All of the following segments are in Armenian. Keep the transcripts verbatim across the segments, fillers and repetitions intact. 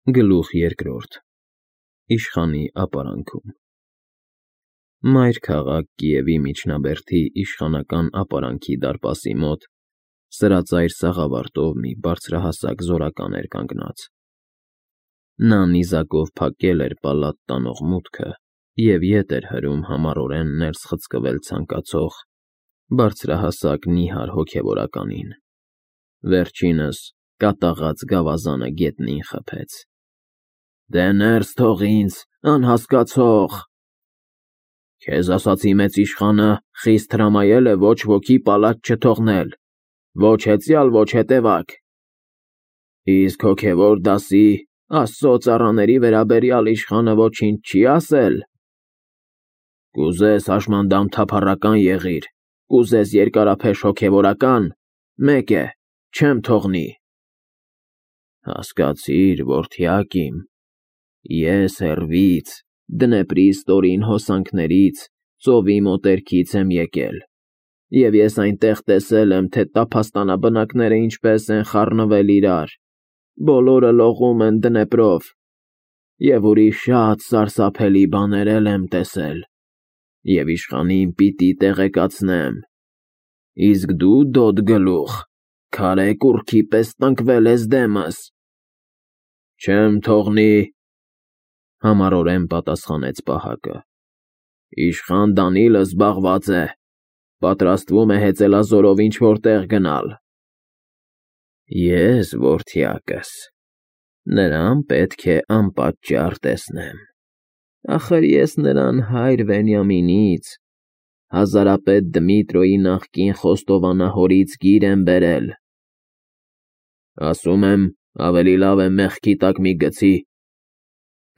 Գլուխ երկրորդ Իշխանի ապարանքում Մայր քաղաք Կիևի միջնաբերդի իշխանական ապարանքի դարպասի մոտ սրածայր սաղավարտով մի բարձրահասակ զորական էր կանգնած։ Նա նիզակով փակել էր պալատ տանող մուտքը և ետ էր հրում համառորեն ներս խցկվել ցանկացող բարձրահասակ նիհար հոգևորականին։ Վերջինս կատաղած գավազանը գետնին խփեց։ Դե ներս թող ինձ, անհասկացող… Քեզ ասացի մեծ իշխանը խիստ հրամայել է ոչ ոքի պալատ չթողնել, ոչ հեծյալ, ոչ հետևակ… Իսկ հոգևոր դասի, Աստծո ծառաների վերաբերյալ իշխանը ոչինչ չի ասել… Կուզես հաշմանդամ թափառական եղիր, կուզես երկարափեշ հոգևորական, մեկ է, չեմ թողնի… Հասկացիր, որդյակ իմ, ես հեռվից, Դնեպրի ստորին հոսանքներից, ծովի մոտերքից եմ եկել, և ես այնտեղ տեսել եմ, թե տափաստանաբնակները ինչպես են խառնվել իրար, բոլորը լողում են Դնեպրով, և ուրիշ շատ սարսափելի բաներ էլ եմ տեսել, և իշխանին պիտի տեղեկացնեմ… Իսկ դու, դոդ գլուխ, քարե կուռքի պես տնկվել ես դեմս… Չեմ թողնի… Համառորեն պատասխանեց պահակը։ Իշխան Դանիլը զբաղված է, պատրաստվում է հեծելազորով ինչ֊որ տեղ գնալ… Ես, որդյակս, նրան պետք է անպատճառ տեսնեմ, ախր ես նրան հայր Վենյամինից, հազարապետ Դմիտրիոյի նախկին խոստովանահորից գիր եմ բերել… Ասում եմ, ավելի լավ է մեղքի տակ մի գցի…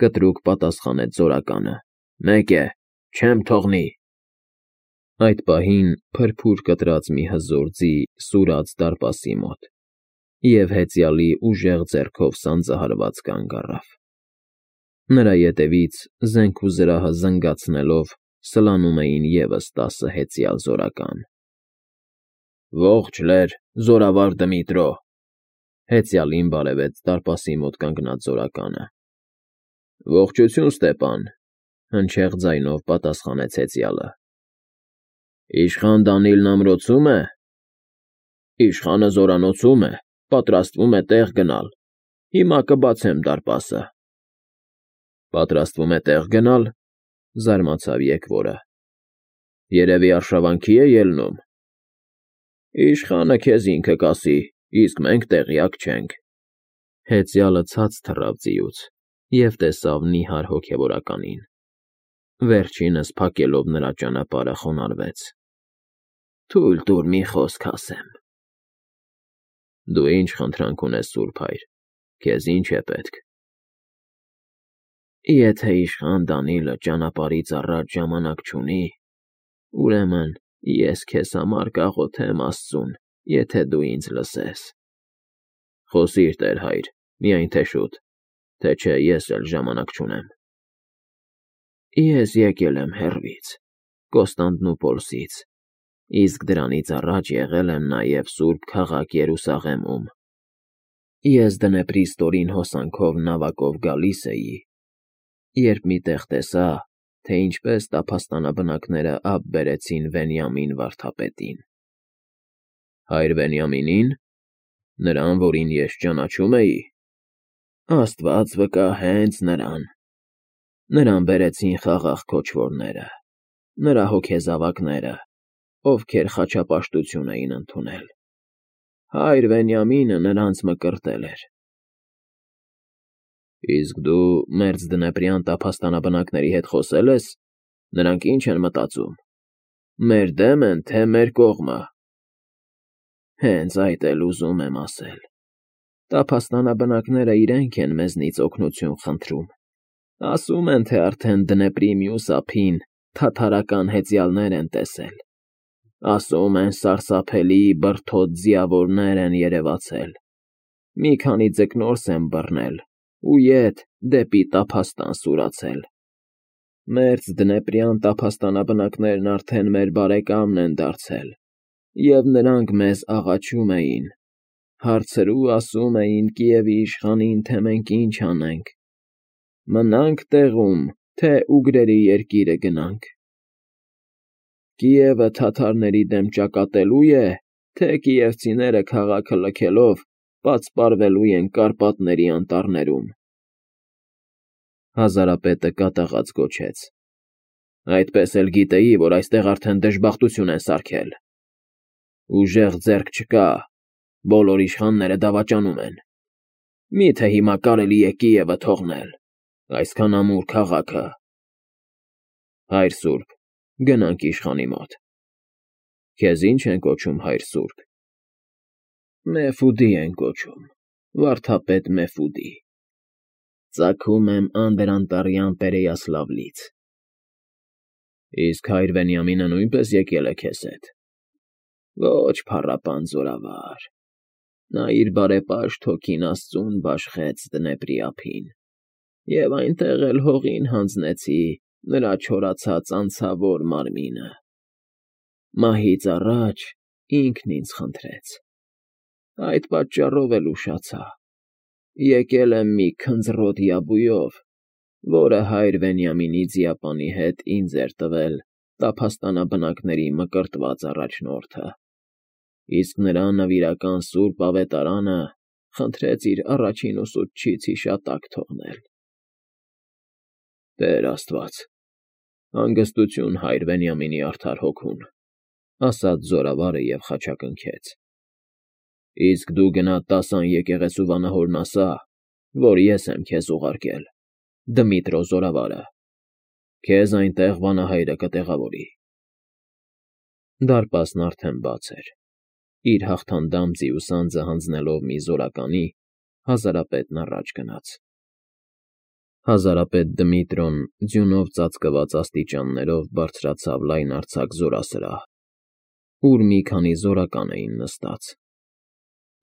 Կտրուկ պատասխանեց զորականը, մեկ է, չեմ թողնի… Այդ պահին փրփուր կտրած մի հզոր ձի սուրաց դարպասի մոտ, և հեծյալի ուժեղ ձեռքով սանձահարված կանգ առավ… Նրա ետևից, զենք ու զրահը զնգացնելով, սլանում էին ևս տասը հեծյալ զորական։ Ողջ լեր, զորավար Դմիտրո… Հեծյալին բարևեց դարպասի մոտ կանգնած զորականը։ Ողջույն, Ստեպան… Հնչեղ ձայնով պատասխանեց հեծյալը։ Իշխան Դանիլն ամրոցո՞ւմ է։ Իշխանը զորանոցում է, պատրաստվում է տեղ գնալ, հիմա կբացեմ դարպասը… Պատրաստվում է տեղ գնալ, զարմացավ եկվորը… Երևի արշավանքի է ելնում… Իշխանը քեզ ինքը կասի, իսկ մենք տեղյակ չենք… Հեծյալը ցած թռավ ձիուց և տեսավ նիհար հոգևորականին… Վերջինս փակելով նրա ճանապարհը խոնարհվեց… Թույլ տուր մի խոսք ասեմ… Դու ինչ խնդրանք ունես, սուրբ հայր, քեզ ինչ է պետք… Եթե իշխան Դանիլը ճանապարհից առաջ ժամանակ չունի, ուրեմն ես քեզ համար կաղոթեմ Աստծուն, եթե դու ինձ լսես… Խոսիր, տեր հայր, միայն թե շուտ, թե չէ ես էլ ժամանակ չունեմ… Ես եկել եմ հեռվից, Կոստանդնուպոլսից, իսկ դրանից առաջ եղել եմ նաև սուրբ քաղաք Երուսաղեմում… Ես Դնեպրի ստորին հոսանքով նավակով գալիս էի, երբ մի տեղ տեսա, թե ինչպես տափաստանաբնակները ափ բերեցին Վենյամին վարդապետին… Հայր Վենյամինի՞ն, նրան, որին ես ճանաչում էի… Աստված վկա, հենց նրան… Նրան բերեցին խաղաղ քոչվորները, նրա հոգեզավակները, ովքեր խաչապաշտություն էին ընդունել… Հայր Վենյամինը նրանց մկրտել էր… Իսկ դու մերձդնեպրյան տափաստանաբնակների հետ խոսե՞լ ես, նրանք ի՞նչ են մտածում, մեր դե՞մ են, թե մեր կողմը… Հենց այդ էլ ուզում եմ ասել… Տափաստանաբնակները իրենք են մեզնից օգնություն խնդրում, ասում են, թե արդեն Դնեպրի մյուս ափին թաթարական հեծյալներ են տեսել, ասում են սարսափելի բրդոտ ձիավորներ են երևացել, մի քանի ձկնորս են բռնել ու ետ դեպի տափաստան սուրացել… Մերձդնեպրյան տափաստանաբնակներն արդեն մեր բարեկամն են դարձել, և նրանք մեզ աղաչում էին, Հարցրու ասում էին Կիևի իշխանին, թե մենք ինչ անենք. մնա՞նք տեղում, թե ուգրերի երկիրը գնանք։ Կիևը թաթարների դեմ ճակատելո՞ւ է, թե կիևցիները քաղաքը լքելով պատսպարվելու են Կարպատների անտառներում։ Հազարապետը կատաղած գոչեց. Այդպես էլ գիտեի, որ այստեղ արդեն դժբախտություն են սարքել։ Ուժեղ ձեռք չկա, բոլոր իշխանները դավաճանում են։ Մի՞թե հիմա կարելի է Կիևը թողնել, այսքան ամուր քաղաքը։ Հայր Սուրբ, գնանք իշխանի մոտ։ Քեզ ի՞նչ են կոչում, Հայր Սուրբ։ Մեֆուդի են կոչում, վարդապետ Մեֆուդի։ Ծագում եմ Անդրանտարյան Պերեյասլավլից։ Իսկ Հայր Վենյամինը նույնպես եկել է քեզ հետ։ Ոչ, փառապան զորավար, նա իր բարեպաշտ հոգին Աստծուն բաշխեց Դնեպրի ափին, և այնտեղ էլ հողին հանձնեցի նրա չորացած անցավոր մարմինը։ Մահից առաջ ինքն ինձ խնդրեց։ Այդ պատճառով էլ ուշացա։ Եկել եմ մի քնձռոտ յաբույով, որը Հայր Վենյամինի ձիապանի հետ ինձ էր տվել տափաստանաբնակների մկրտված առաջնորդը, իսկ նրա նվիրական սուրբ ավետարանը խնդրեց իր առաջին ուսուցչից հիշատակ թողնել։ Տեր Աստված, հանգստություն Հայր Վենյամինի արդար հոգուն, ասաց զորավարը և խաչակնքեց։ Իսկ դու գնա տասան եկեղեցու վանահորն ասա, որ ես եմ քեզ ուղարկել, Դմիտրո զորավարը, քեզ այնտեղ վանահայրը կտեղավորի։ Դարպասն արդեն բաց էր։ Իր հաղթանդամ ձիուսանձը հանձնելով մի զորականի, հազարապետն առաջ գնաց։ Հազարապետ Դմիտրոն ձյունով ծածկված աստիճաններով բարձրացավ լայնարձակ զորասրահ, ուր մի քանի զորական էին նստած։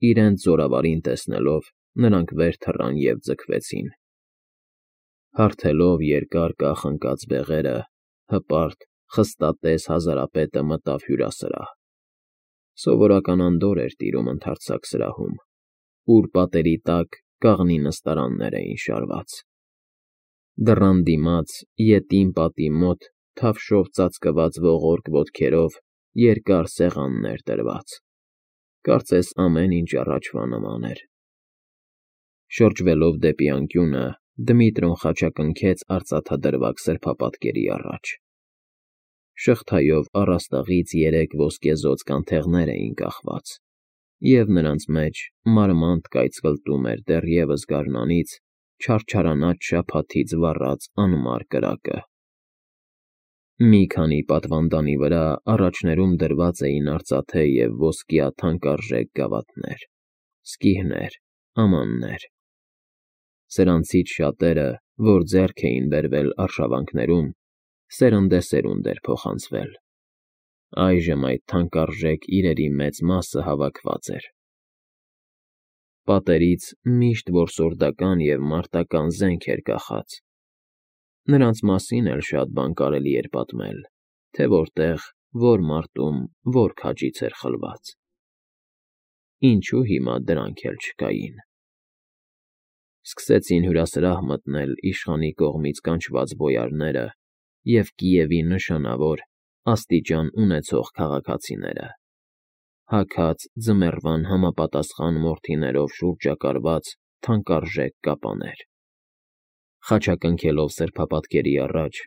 Իրենց զորավարին տեսնելով, նրանք վեր թռան և ձգվեցին։ Հարթելով երկար կախնկած բեղերը, հպարտ, խստատես հազարապետը մտավ հյուրասրահ։ Սովորական անդորր էր տիրում ընդարձակ սրահում, ուր պատերի տակ կաղնի նստարաններ էին շարված։ Դռան դիմաց, ետին պատի մոտ, թավշով ծածկված ողորկ ոտքերով երկար սեղաններ դրված։ Կարծես ամեն ինչ առաջվա նման էր։ Շրջվելով դեպի անկյունը, Դմիտրոն խաչակնքեց արծաթադրվակ սրբապատկերի առաջ։ Շղթայով առաստաղից երեք ոսկեզօծ կանթեղներ էին կախված, և նրանց մեջ մարմանդ կայծկլտում էր դեռևս գարնանից չարչարանած շաբաթից վառած անմար կրակը։ Մի քանի պատվանդանի վրա առաջներում դրված էին արծաթե և ոսկյա թանկարժեք գավաթներ, սկիհներ, ամաններ։ Սրանցից շատերը, որ ձեռք էին բերվել արշավանքներում, սերնդեսերունդ էր փոխանցվել։ Այժմ այդ թանկարժեք իրերի մեծ մասը հավաքված էր։ Պատերից միշտ որսորդական և մարտական զենք էր կախած։ Նրանց մասին էլ շատ բան կարելի էր պատմել, թե որտեղ, որ մարտում, որ քաջից էր խլված։ Ինչու հիմա դրանք էլ չկային։ Սկսեցին հյուրասրահ մտնել իշխանի կողմից կանչված բոյարները և Կիևի նշանավոր, աստիճան ունեցող քաղաքացիները, հագած ձմեռվան համապատասխան մորթիներով շուրջակարված թանկարժեք կապաներ։ Խաչակնքելով սրբապատկերի առաջ,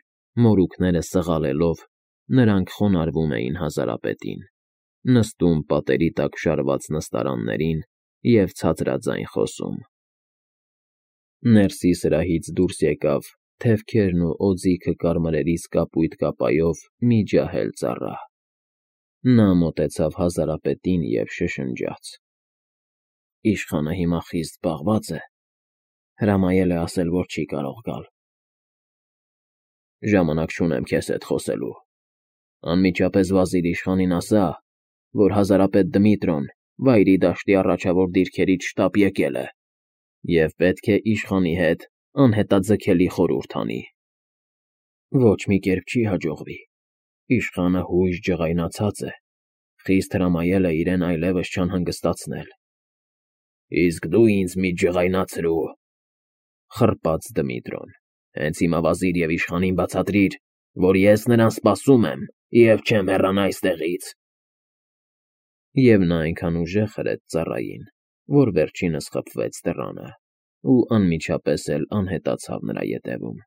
մորուքները սղալելով, նրանք խոնարհվում էին հազարապետին, նստում պատերի տակ շարված նստարաններին և ցածրաձայն խոսում։ Ներսի սրահից դուրս եկավ թևքերն ու օձիքը կարմրերից կապույտ կապայով մի ջահել ծառա։ Նա մոտեցավ հազարապետին և շշնջաց. Իշխանը հիմա խիստ զբաղված է, հրամայել է ասել, որ չի կարող գալ։ Ժամանակ չունեմ քեզ հետ խոսելու։ Անմիջապես վազիր իշխանին ասա, որ հազարապետ Դմիտրոն Վայրի դաշտի առաջավոր դիրքերից շտապ եկել է և պետք է իշխանի հետ անհետաձգելի խորհուրդ անի։ Ոչ մի կերպ չի հաջողվի։ Իշխանը հույժ ջղայնացած է, խիստ հրամայել է իրեն այլևս չանհանգստացնել։ Իսկ դու ինձ մի ջղայնացրու,֊ խռպաց Դմիտրոն։֊ Հենց հիմա վազիր և իշխանին բացատրիր, որ ես նրան սպասում եմ և չեմ հեռանա այստեղից… Եվ նա այնքան ուժեղ հրեց ծառային, որ վերջինս խփվեց դռանը ու անմիջապես էլ անհետացավ նրա ետևում։